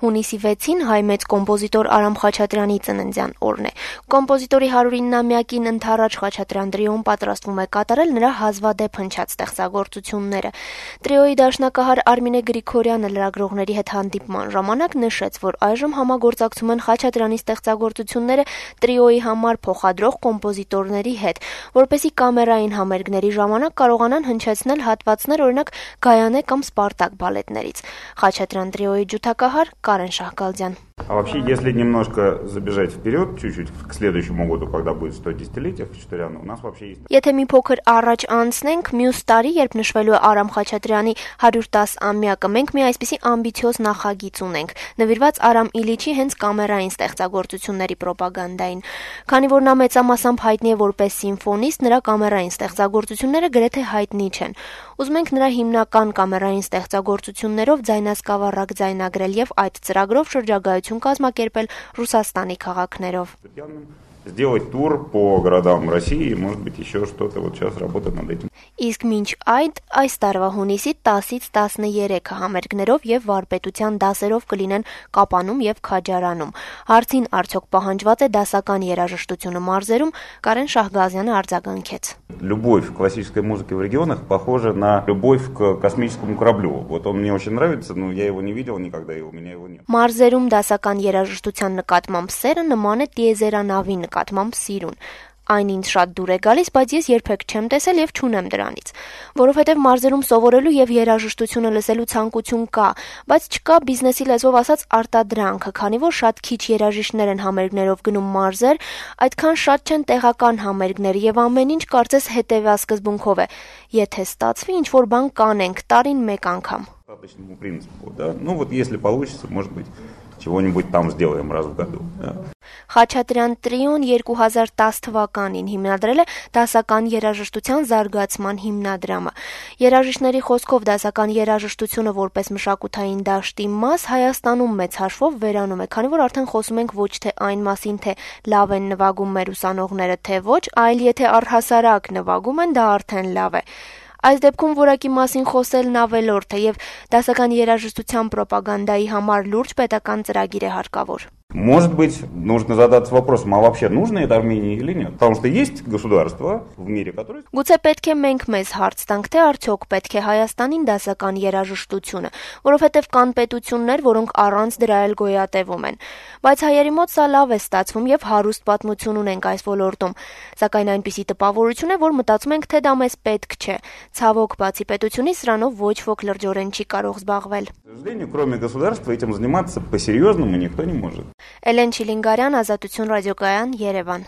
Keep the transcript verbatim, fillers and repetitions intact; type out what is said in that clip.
Հունիսի վեցին հայ մեծ կոմպոզիտոր Արամ Խաչատրյանի ծննդյան օրն է։ Կոմպոզիտորի հարյուրինամյակին ընթառաջ Խաչատրյան տրիոն պատրաստվում է կատարել նրա հազվադեպ հնչած ստեղծագործությունները։ Տրիոյի դաշնակահար Արմինե Գրիգորյանը լրագրողների հետ հանդիպման ժամանակ նշեց, որ այժմ համագործակցում են Խաչատրյանի ստեղծագործությունները տրիոյի համար փոխադրող կոմպոզիտորների հետ, որպեսզի կամերային համերգների ժամանակ կարողանան հնչեցնել հատվածներ, օրինակ Գայանե կամ Սպարտակ բալետներից։ Խաչատրյան տրիոյի ջութակահար Կարեն Շահգալդյան. А вообще, если немножко забежать вперед, чуть-чуть к следующему году, когда будет стодесятилетие Խաչատրյանը, у нас вообще есть... Եթե մի փոքր առաջ անցնենք, մյուս տարի, երբ նշվելու է Արամ Խաչատրյանի հարյուր տասնամյակը, մենք մի այսպիսի ամբիցիոզ նախագիծ ունենք, նվիրված Արամ Իլիչի հենց կամերային ստեղծագործությունների պրոպագանդային։ Քանի որ նա մեծամասամբ հայտնի է որպես սիմֆոնիստ, նրա կամերային ստեղծագործությունները գրեթե հայտնի չեն։ Ուզում ենք նրա հիմնական կամերային ստեղծագործություններով ձայնասկավառակ ձայնագրել եւ այդ ծրագրով շրջագայություն կազմակերպել Ռուսաստանի քաղաքներով։ Сделать тур по городам России, может быть, еще что-то. Вот сейчас работать над этим. Իսկ մինչ այդ, այս տարվա հունիսի տասից տասներեքը համերգներով եւ վարպետության դասերով կլինեն Կապանում եւ Քաջարանում։ Հարցին արդյոք պահանջված է դասական երաժշտությունը մարզերում, Կարեն Շահգազյանը արձագանքեց. Любовь к классической музыке в регионах похожа на любовь к космическому кораблю. Вот он мне очень нравится, но я его не видел никогда, и у меня его нет. Մարզերում դասական երաժշտության նկատմամբ սերը նման է տիեզերանավի նկատմամբ սիրուն։ Այն ինձ շատ դուր է գալիս, բայց ես երբեք չեմ տեսել եւ չունեմ դրանից, որովհետեւ մարզերում սովորելու եւ երաժշտությունը լսելու ցանկություն կա, բայց չկա բիզնեսի լեզվով ասած արտադրանքը, քանի որ շատ քիչ երաժիշտներ են համերգներով գնում մարզեր, այդքան շատ չեն տեղական համերգներ եւ ամեն ինչ կարծես հետեւյալ սկզբունքով է. եթե ստացվի ինչ որ բան կանենք տարին մեկ անգամ։ По принципу, да. Ну вот если получится, может быть, чего-нибудь там сделаем раз в году. Խաչատրյան տրիոն երկու հազար տասը թվականին հիմնադրել է դասական երաժշտության զարգացման հիմնադրամը։ Երաժիշտների խոսքով դասական երաժշտությունը որպես մշակութային դաշտի մաս Հայաստանում մեծ հաշվով վերանում է, քանի որ արդեն խոսում ենք ոչ թե այն մասին, թե լավ են նվագում մեր ուսանողները, թե ոչ, այլ եթե առհասարակ նվագում են, դա արդեն լավ է։ Այս դեպքում որակի մասին խոսելն ավելորդ է եւ դասական երաժշտության պրոպագանդայի համար լուրջ պետական ծրագիր է հարկավոր։ Может быть, нужно задаться вопросом, а вообще нужно это Армении или нет? Потому что есть государства в мире, которые... Գուցե պետք է մենք մեզ հարց տանք, թե արդյոք պետք է Հայաստանին դասական երաժշտությունը, որովհետև կան պետություններ, որոնք առանց դրա էլ գոյատևում են։ Բայց հայերի մոտ սա լավ է ստացվում եւ հարուստ պատմություն ունենք այս ոլորտում։ Սակայն այնպիսի տպավորություն է, որ մտածում ենք, թե դա մեզ պետք չէ։ Ցավոք, բացի պետությունից սրանով ոչ ոք լրջորեն չի կարող զբաղվել։ К сожалению, кроме государства, этим заниматься по-серьезному никто не может. Էլեն Չիլինգարյան, Ազատություն ռադիոկայան, Երևան։